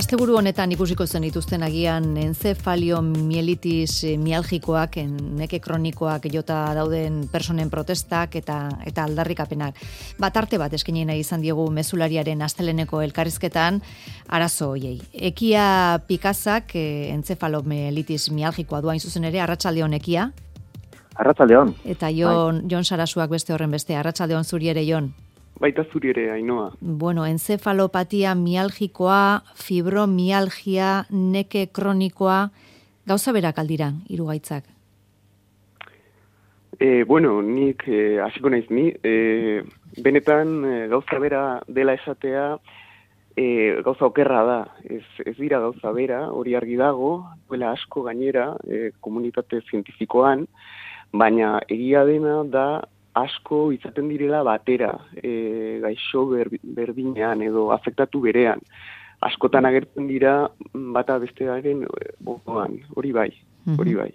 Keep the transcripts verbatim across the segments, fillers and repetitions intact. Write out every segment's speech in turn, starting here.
Asteburu honetan ikusiko zen dituzten agian encefalomielitis mialgikoak, neke kronikoak jota dauden personen protestak eta eta aldarrikapenak. Bat arte bat eskaini nahi izan diegu mezulariaren asteleneko elkarrizketan arazo hoiei. Ekia Pikazak encefalomielitis mialgikoa du hain zuzen ere, arratsaldeon Ekia. Arratsaldeon. Eta Jon, Jon Sarasuak beste horren beste, arratsaldeon zuri ere Jon. Baita zuri ere, Ainhoa. Bueno, encefalopatia mialgikoa, fibromialgia, neke kronikoa, gauza berak aldira, hiru gaitzak? E, bueno, nik eh, hasiko naiz ni, e, benetan e, gauza bera dela esatea, e, gauza okerra da, ez, ez dira gauza bera, hori argi dago, duela asko gainera, e, komunitate zientifikoan, baina egia dena da, asko izaten direla batera, e, gaixo ber, berdinean edo afektatu berean. Askotan agertzen dira bata bestearen ondoan, hori bai, hori bai.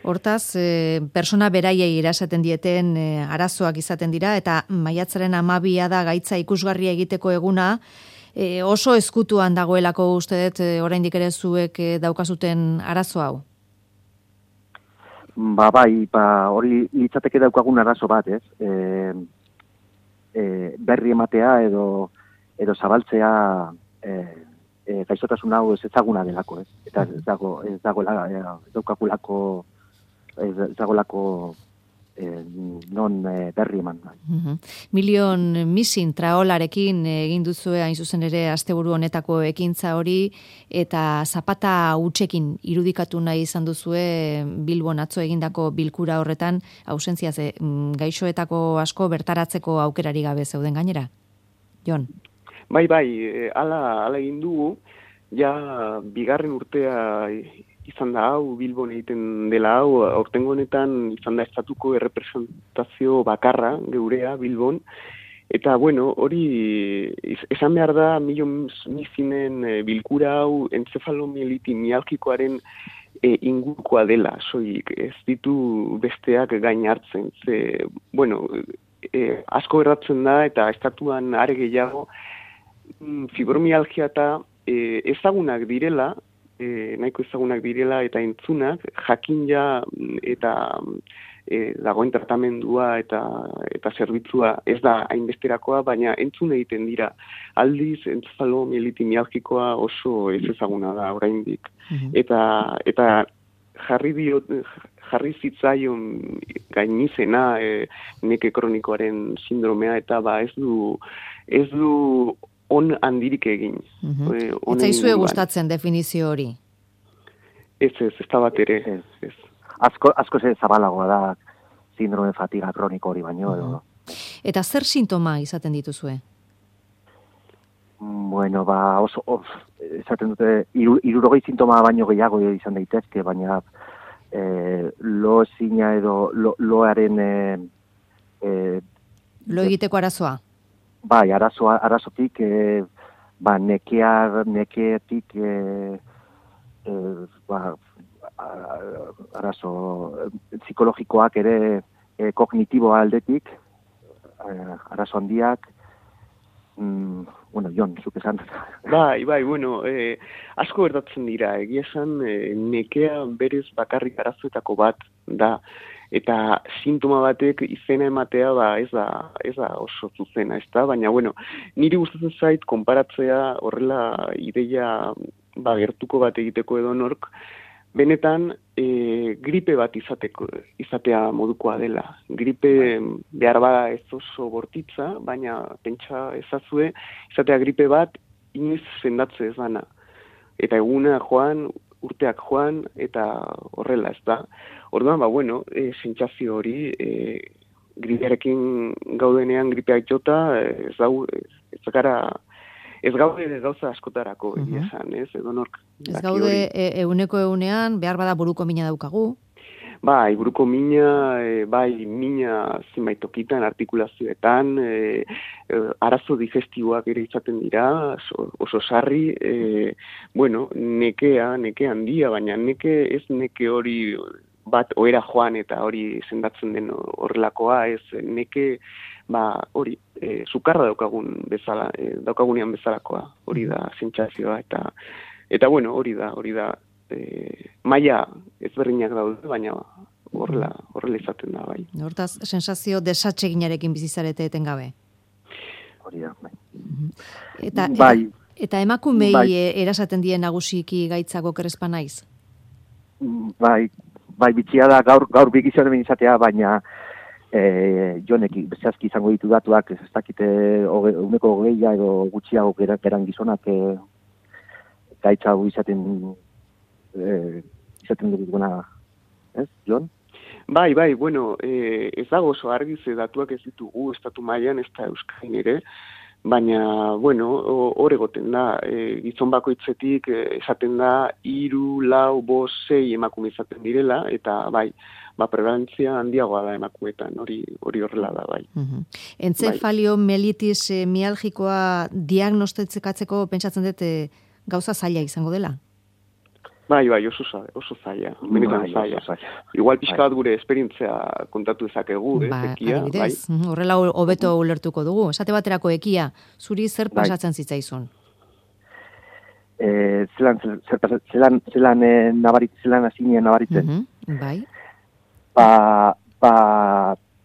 Hortaz, e, persona beraiei erasaten dieten e, arazoak izaten dira, eta maiatzaren amabia da gaitza ikusgarria egiteko eguna, e, oso ezkutuan dagoelako uste dut, e, oraindik ere zuek e, daukazuten arazo hau? Ba, bai, ba, hori litzateke daukagun arazo bat, ez? E, e, berri ematea edo edo zabaltzea e, e, gaixotasun hau ez ezaguna delako, ez? Eta ez dago, ez dagoela, ez daukakulako, ez dagoelako e, non e, berri eman. Uh-huh. Milion Missing traolarekin egin duzue hain zuzen ere asteburu honetako ekintza hori, eta zapata hutsekin irudikatu nahi izan duzue Bilbon atzo egindako bilkura horretan, ausentzia ze gaixoetako asko bertaratzeko aukerari gabe zeuden gainera? Jon? Bai, bai, hala hala egin dugu, ja bigarren urtea izan da hau, Bilbon egiten dela hau, aurtengo honetan izan da estatuko errepresentazio bakarra geurea Bilbon, eta bueno, hori esan behar da Milion Missingen bilkura hau encefalomielitis mialgikoaren e, ingurukoa dela, soilik ez ditu besteak gain hartzen, ze, bueno, e, asko erratzen da eta estatuan are gehiago fibromialgia eta e, ezagunak direla, E, nahiko ezagunak direla eta entzunak, jakin ja eta e, dagoen tratamendua eta eta zerbitzua ez da hainbesterakoa, baina entzun egiten dira. Aldiz, encefalomielitis mialgikoa oso ez ezaguna da oraindik. Uh-huh. Eta eta jarri dio, jarri zitzaion gainizena e, neke kronikoaren sindromea, eta ba ez du ez du on handirik egin. Uh-huh. E, ez zaizue gustatzen definizio hori? Ez, ez, ez da bat ere. Ez, ez. Asko, asko ze zabalagoa da sindrome fatiga kroniko hori baino. Uh-huh. Eta zer sintoma izaten dituzue? Bueno, ba, oso, of, esaten dute, iru, irurogei sintoma baino gehiago izan daitezke, baina e, lo ezina edo lo, loaren... E, e, lo egiteko arazoa? Bai, arazoa, arazotik, e, ba, nekea, nekeetik, e, e, ba, arazo psikologikoak ere, e, kognitiboa aldetik, e, arazo handiak, mm, bueno, Jon, zuk esan. Bai, bai, bueno, e, asko gertatzen dira, egia esan, e, nekea berez bakarrik arazoetako bat da, eta sintoma batek izena ematea ba ez da ez da oso zuzena, ezta, baina bueno, niri gustatzen zait konparatzea horrela ideia ba gertuko bat egiteko edonork benetan e, gripe bat izateko izatea modukoa dela. Gripe behar bada ez oso bortitza, baina pentsa ezazue izatea gripe bat inoiz sendatze ez dana. Eta eguna joan, urteak joan, eta horrela, ez da. Orduan, ba, bueno, e, sentsazio hori, e, gripearekin gaudenean gripeak jota, ez dau, ez gara, ez gaude gauza askotarako, egia uh-huh. esan, ez, edo nork. Ez gaude e, euneko eunean, behar bada buruko mina daukagu? Bai, buruko mina, e, bai, mina zenbait tokitan, artikulazioetan, e, e, arazo digestiboak ere izaten dira, oso, oso sarri, e, bueno, nekea, neke handia, baina neke ez neke hori bat oera joan eta hori sendatzen den horrelakoa, ez neke ba, hori, e, sukarra daukagun bezala, e, daukagunean bezalakoa, hori da sentsazioa, eta, eta bueno, hori da, hori da, e, maila ezberdinak daude, baina horrela, horrela izaten da, bai. Hortaz, sensazio desatseginarekin bizizarete etengabe. Hori da, bai. Eta, bai. eta, eta emakumei bai. erasaten dien nagusiki gaitzako kerespa naiz? Bai, bai, bitxia da gaur, gaur bigizionen izatea, baina e, jonek, zehazki izango ditu datuak, ez dakite uneko hogeia edo gutxiago geran gizonak e, gaitza hau izaten e, izaten duguna, ez, Jon? Bai, bai, bueno, e, ez dago oso argi ze datuak ez ditugu estatu mailan ez da Euskadin ere, baina, bueno, hor egoten da, e, gizon bakoitzetik e, esaten da hiru, lau, bost, sei emakume izaten direla, eta bai, ba, prevalentzia handiagoa da emakumetan, hori hori horrela da, bai. Uh-huh. Entzefalio mielitis e, mialgikoa diagnostikatzeko pentsatzen dut e, gauza zaila izango dela? Bai, bai, oso zaila, oso zaila, benetan bai, zaila. oso zaila. Igual pixka bat gure esperientzia kontatu ezakegu, ba, ez, ekia, bai. Horrela hobeto ulertuko dugu. Esate baterako ekia, zuri zer pasatzen zitzaizun? E, zelan, zelan, zelan, zelan, e, nabarit, zelan azinien nabaritzen. Uh-huh, bai. Ba, ba,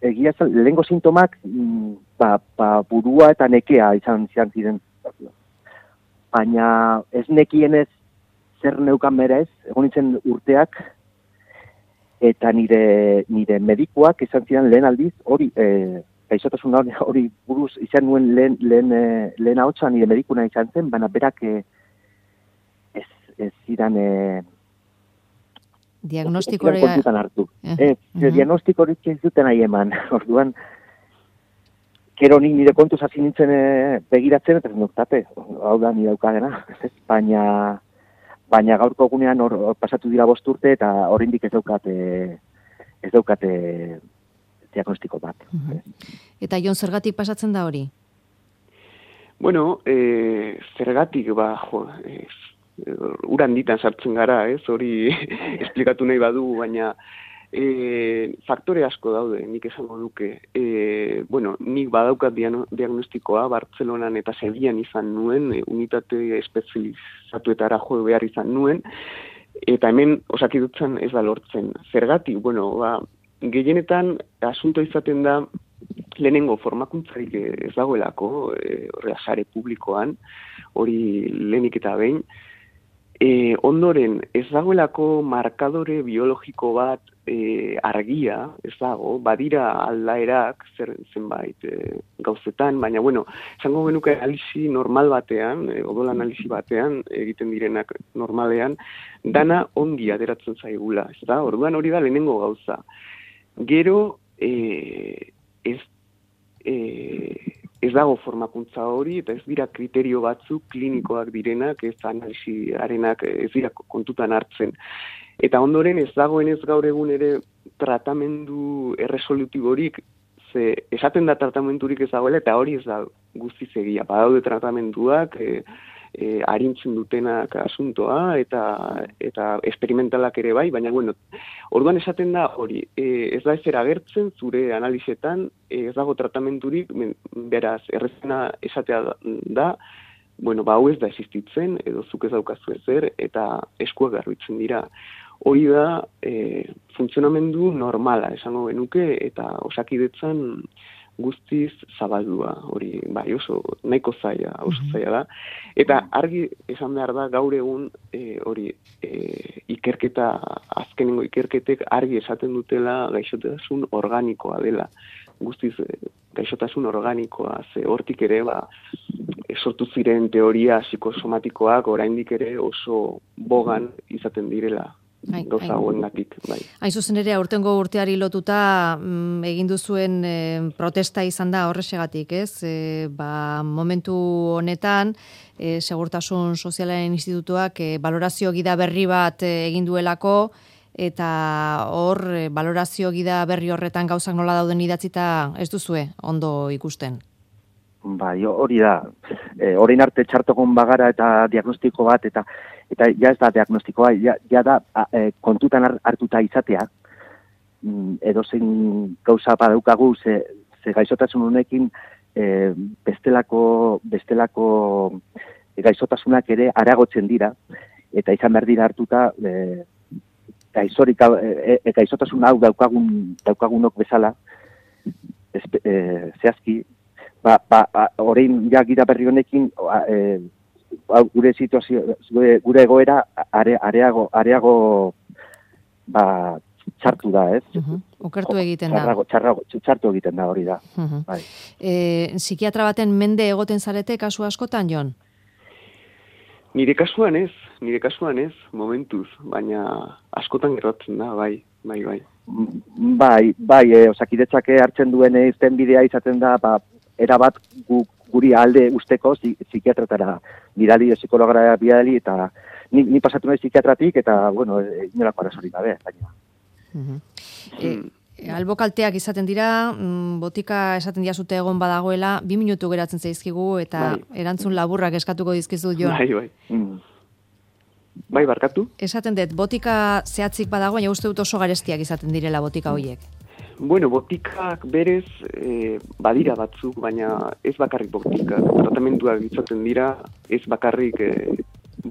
egia zen, lehenko sintomak, ba, ba, burua eta nekea izan zian ziren. Baina ez nekienez zer neukan berez, egon nintzen urteak, eta nire, nire medikuak izan ziren lehen aldiz, hori, e, gaixotasun hori buruz izan nuen lehen, lehen, lehen ahotsa nire medikuna izan zen, baina berak e, ez, ez ziren e, diagnostikoria kontutan hartu. Uh, ez, uh-huh. Diagnostikorik ez duten nahi eman, orduan, kero nik nire kontuz hasi nintzen e, begiratzen, eta zenoktate, hau da nire daukagena, baina baina gaurko egunean hor pasatu dira bost urte eta oraindik ez daukate ez daukate diagnostiko bat. Uh-huh. Eta Jon, zergatik pasatzen da hori? Bueno, e, zergatik, ba, jo, e, uran ditan sartzen gara, ez, hori esplikatu nahi badu, baina e, faktore asko daude, nik esango duke. E, bueno, nik badaukat diagnostikoa, Bartzelonan eta Sevillan izan nuen, e, unitate espezializatuetara jo behar izan nuen, eta hemen osakidutzen ez da lortzen. Zergatik, bueno, ba, gehienetan asunto izaten da, lehenengo formakuntzarik ez dagoelako, e, horrela sare publikoan, hori lehenik eta behin, E, ondoren, ez dagoelako markadore biologiko bat e, argia, ez dago, badira aldaerak, zer, zenbait e, gauzetan, baina, bueno, esango genuke analisi normal batean, e, odol analisi batean, egiten direnak normalean, dana ongi ateratzen zaigula, ez da, orduan hori da lehenengo gauza. Gero, e, ez, e, ez dago formakuntza hori, eta ez dira kriterio batzuk klinikoak direnak, ez analisiarenak ez dira kontutan hartzen. Eta ondoren ez dagoen ez gaur egun ere tratamendu erresolutiborik, ze esaten da tratamendurik ez dagoela, eta hori ez da guztiz egia. Badaude tratamenduak, e, e, arintzen dutenak asuntoa, eta, eta experimentalak ere bai, baina bueno, orduan esaten da hori, e, ez da ezer agertzen zure analizetan, e, ez dago tratamendurik, beraz, errezena esatea da, bueno, ba, hau ez da existitzen, edo zuk ez daukazu ezer, eta eskuak garbitzen dira. Hori da, e, funtzionamendu normala, esango genuke, eta osakidetzan guztiz zabaldua, hori, bai, oso nahiko zaila, oso zaila da. Eta argi esan behar da, gaur egun, e, hori, e, ikerketa, azkenengo ikerketek argi esaten dutela gaixotasun organikoa dela. Guztiz, e, gaixotasun organikoa, ze hortik ere, ba, sortu ziren teoria psikosomatikoak oraindik ere oso bogan izaten direla. Ai, gauza hoengatik, bai. Hain zuzen ere, aurtengo urteari lotuta mm, egin duzuen e, protesta izan da horrexegatik, ez? E, ba, momentu honetan, e, Segurtasun Sozialaren Institutuak e, balorazio gida berri bat e, egin duelako, eta hor, e, balorazio gida berri horretan gauzak nola dauden idatzita ez duzue ondo ikusten? Bai, hori da. E, orain arte txartokon bagara eta diagnostiko bat, eta eta ja ez da diagnostikoa, ja, ja da a, e, kontutan hartuta izatea, mm, edo zein gauza badaukagu, ze, ze gaixotasun honekin e, bestelako, bestelako gaixotasunak ere aragotzen dira, eta izan behar dira hartuta e, gaixorik, e, e, gaixotasun hau daukagun, daukagunok bezala, espe, e, zehazki, ba, ba, ba, orain ja gira berri honekin, e, gure situazio, gure, gure egoera are, areago, areago ba, txartu da, ez? Uh-huh. Okertu egiten da. Txarrago, txarrago, txartu egiten da hori da. Uh-huh. Bai. E, psikiatra baten mende egoten zarete kasu askotan, Jon? Nire kasuan ez, nire kasuan ez, momentuz, baina askotan gertatzen da, bai, bai, bai. Bai, bai, e, Osakidetzak hartzen duen izten bidea izaten da, ba, erabat gu, guri alde usteko psikiatratara bidali, psikologara bidali, eta ni, ni pasatu nahi psikiatratik, eta, bueno, inolako arazorik gabe, baina. Uh-huh. e, albokalteak izaten dira, botika esaten diazute egon badagoela, bi minutu geratzen zaizkigu, eta bai. Erantzun laburrak eskatuko dizkizu, Jon. Bai, bai. Mm. Bai, barkatu? Esaten dut, botika zehatzik badago, baina uste dut oso garestiak izaten direla botika horiek. Bueno, botikak berez e, badira batzuk, baina ez bakarrik botikak. Tratamenduak izaten dira, ez bakarrik e,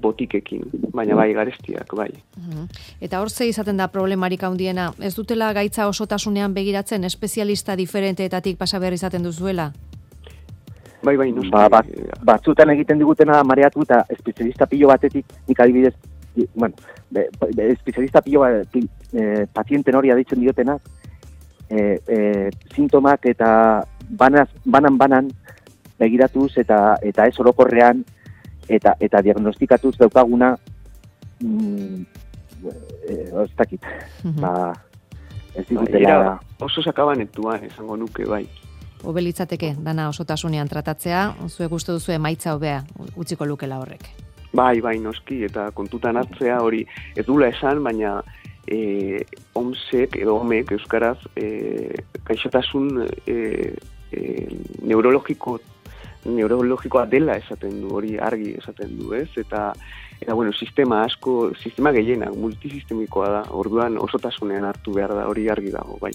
botikekin, baina bai garestiak, bai. Uh-huh. Eta hor ze izaten da problemarik handiena, ez dutela gaitza osotasunean begiratzen, espezialista diferenteetatik pasa behar izaten duzuela? Bai, bai, noski. Ba, bat, batzutan egiten digutena mareatu eta espezialista pilo batetik, nik adibidez, bueno, be, be, espezialista pilo bat, e, pazienten hori aditzen diotenak, e, e, sintomak eta banaz, banan-banan begiratuz eta eta ez orokorrean eta eta diagnostikatuz daukaguna mm, e, ez dakit. Uh-huh. Ba, ez digutela... Ba, oso sakabanetuan esango nuke, bai. Obelitzateke, dana osotasunean tratatzea, zuek uste duzu emaitza hobea utziko lukela horrek. Bai, bai, noski, eta kontutan hartzea hori ez dula esan, baina e, omsek edo omek euskaraz e, gaixotasun e, e, neurologiko neurologikoa dela esaten du, hori argi esaten du, ez? Eta eta bueno, sistema asko, sistema gehienak multisistemikoa da. Orduan osotasunean hartu behar da, hori argi dago, bai.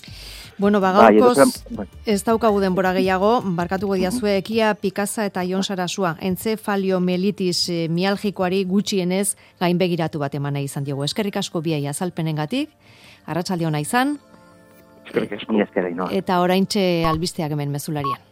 Bueno, bagaurkoz ez daukagu denbora gehiago, barkatuko diazue Ekia Pikasa eta Jon Sarasua, entzefaliomelitis mialgikoari gutxienez gainbegiratu bat eman nahi izan diogu. Eskerrik asko biei azalpenengatik, arratsalde ona izan. Eskerrik asko. Eta oraintxe albisteak hemen mezularian.